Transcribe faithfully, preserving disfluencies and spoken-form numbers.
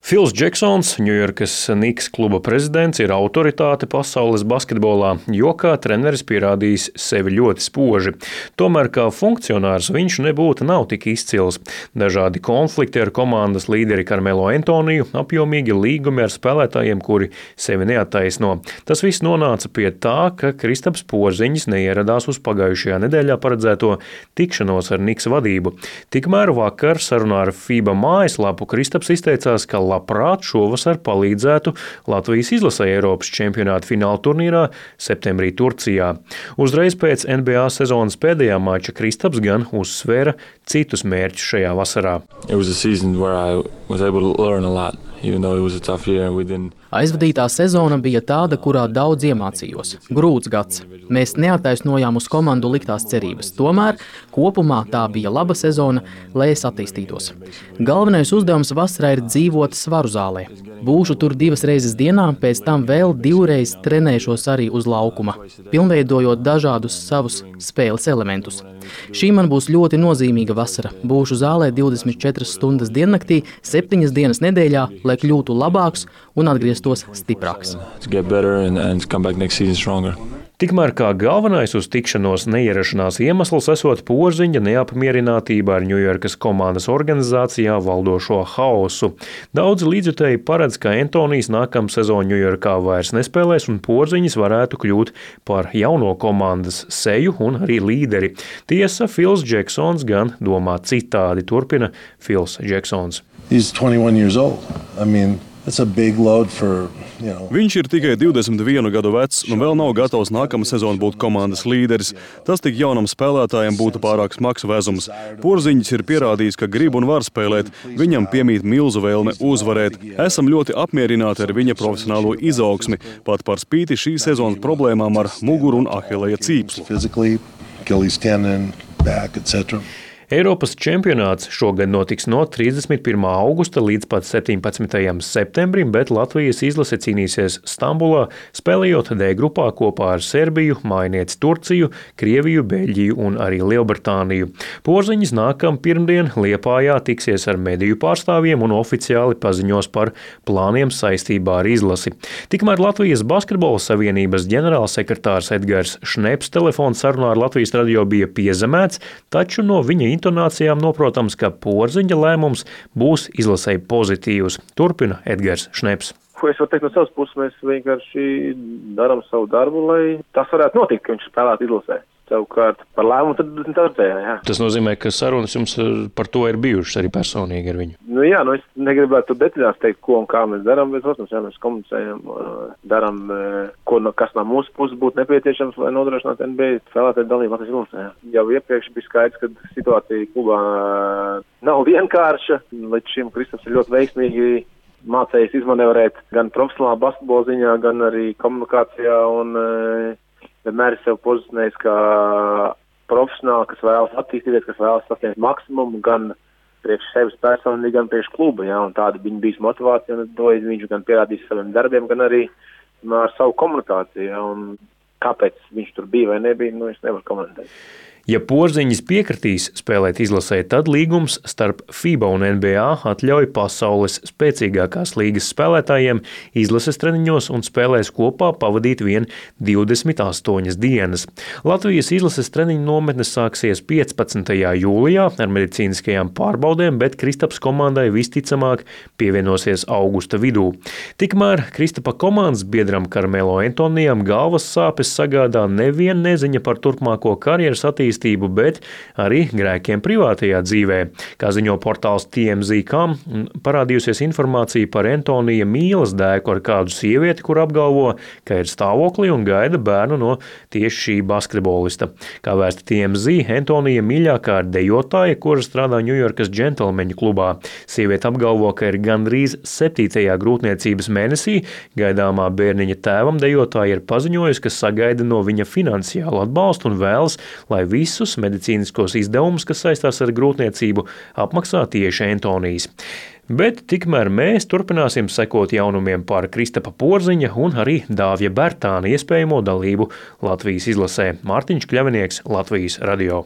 Fils Džeksons, Ņujorkas Knicks kluba prezidents, ir autoritāte pasaules basketbolā, jo kā treneris pierādījis sevi ļoti spoži. Tomēr kā funkcionārs viņš nebūtu nav tik izcils. Dažādi konflikti ar komandas līderi Karmelo Antoniju, apjomīgi līgumi ar spēlētājiem, kuri sevi neattaisno. Tas viss nonāca pie tā, ka Kristaps Porziņš neieradās uz pagājušajā nedēļā paredzēto tikšanos ar Knicks vadību. Tikmēr vakar sarunā ar FIBA mājaslapu Kristaps izteicās, ka labprāt šovasar palīdzētu Latvijas izlasei Eiropas čempionāta fināla turnīrā septembrī Turcijā. Uzreiz pēc N B A sezonas pēdējā mača Kristaps gan uzsvēra citus mērķus šajā vasarā. Aizvadītā sezona bija tāda, kurā daudz iemācījos. Grūts gads. Mēs neattaisnojām uz komandu liktās cerības. Tomēr kopumā tā bija laba sezona, lai es attīstītos. Galvenais uzdevums vasarā ir dzīvot svaru zālē. Būšu tur divas reizes dienā, pēc tam vēl divreiz trenēšos arī uz laukuma, pilnveidojot dažādus savus spēles elementus. Šī man būs ļoti nozīmīga vasara. Būšu zālē divdesmit četras stundas diennaktī, septiņas dienas nedēļā, lai kļūtu labāks un atgrieztos stiprāks. Tikmēr kā galvenais uz tikšanos neierašanās iemesls esot Porziņa neapmierinātība ar Ņujorkas komandas organizācijā valdošo haosu. Daudzi līdzjutēji paredz, ka Antonijs nākamā sezona Ņujorkā vairs nespēlēs un Porziņš varētu kļūt par jauno komandas seju un arī līderi. Tiesa, Fils Džeksons gan domā citādi, turpina Fils Džeksons. He's twenty-one years old. I mean, that's a big load for Viņš ir tikai divdesmit vienu gadu vecs un vēl nav gatavs nākamā sezona būt komandas līderis. Tas tik jaunam spēlētājam būtu pārāk smags vezums. Porziņš ir pierādījis, ka grib un var spēlēt. Viņam piemīt milzu vēlme uzvarēt. Esam ļoti apmierināti ar viņa profesionālo izaugsmi, pat par spīti šīs sezonas problēmām ar muguru un ahilleja cīpslu. Eiropas čempionāts šogad notiks no trīsdesmit pirmā augusta līdz pat septiņpadsmitajam septembrim, bet Latvijas izlase cīnīsies Stambulā, spēlējot D grupā kopā ar Serbiju, mājinieci Turciju, Krieviju, Beļģiju un arī Lielbritāniju. Porziņš nākam pirmdien Liepājā tiksies ar mediju pārstāvjiem un oficiāli paziņos par plāniem saistībā ar izlasi. Tikmēr Latvijas basketbola savienības ģenerālsekretārs Edgars Šneps telefona sarunā ar Latvijas radio bija piezemēts, taču no viņa intonācijām noprotams, ka Porziņa lēmums būs izlasēji pozitīvs. Turpina Edgars Šneps. Ko es varu teikt no savas puses, mēs vienkārši darām savu darbu, lai tas varētu notikt, ka viņš spēlētu izlasē. Savukārt par lēmumu tad tārdējā, jā. Tas nozīmē, ka sarunas jums par to ir bijušas arī personīgi ar viņu? Nu jā, nu es negribētu detaļās teikt, ko un kā mēs darām, bet, protams, jā, mēs komunicējam, darām, ko, kas no mūsu puses būtu nepieciešams, lai nodrošinātu N B A spēlētāju dalību Latvijas izlasē. Jau iepriekš bija skaidrs, ka situācija klubā nav vienkārša. Līdz šim Kristaps ir ļoti veiksmīgi mācējis izmanevrēt gan profesionālā basketbola ziņā, gan arī komunikācijā un vienmēr ir sev pozicionējis kā profesionāli, kas vēlas attīstīties, kas vēlas sasniegt maksimumu gan priekš sevis personīgi, gan priekš kluba. Ja, un tāda viņa bijis motivācija, un to viņš gan pierādījis saviem darbiem, gan arī ar savu komunikāciju. Ja, un kāpēc viņš tur bija vai nebija, nu es nevaru komentēt. Ja Porziņš piekritīs spēlēt izlasē, tad līgums starp FIBA un N B A atļauj pasaules spēcīgākās līgas spēlētājiem izlases treniņos un spēlēs kopā pavadīt vien divdesmit astoņas dienas. Latvijas izlases treniņu nometnes sāksies piecpadsmitajā jūlijā ar medicīniskajām pārbaudēm, bet Kristaps komandai visticamāk pievienosies augusta vidū. Tikmēr Kristapa komandas biedram Karmelo Antonijam galvas sāpes sagādā nevien neziņa par turpmāko karjeras attīstību, bet arī grēkiem privātajā dzīvē. Kā ziņo portāls T M Z dot com, parādījusies informācija par Antonija mīlas dēku ar kādu sievieti, kur apgalvo, ka ir stāvoklī un gaida bērnu no tieši šī basketbolista. Kā vēsta T M Z, Antonija mīļākā ir dejotāja, kura strādā Ņujorkas džentelmeņu klubā. Sieviete apgalvo, ka ir gandrīz septītajā grūtniecības mēnesī. Gaidāmā bērniņa tēvam dejotāja ir paziņojusi, ka sagaida no viņa finansiālu atbalstu un vēlas, lai visi visus medicīniskos izdevumus, kas saistās ar grūtniecību, apmaksā tieši Antonijs. Bet tikmēr mēs turpināsim sekot jaunumiem par Kristapa Porziņa un arī Dāvja Bērtāna iespējamo dalību Latvijas izlasē. Mārtiņš Kļavinieks, Latvijas radio.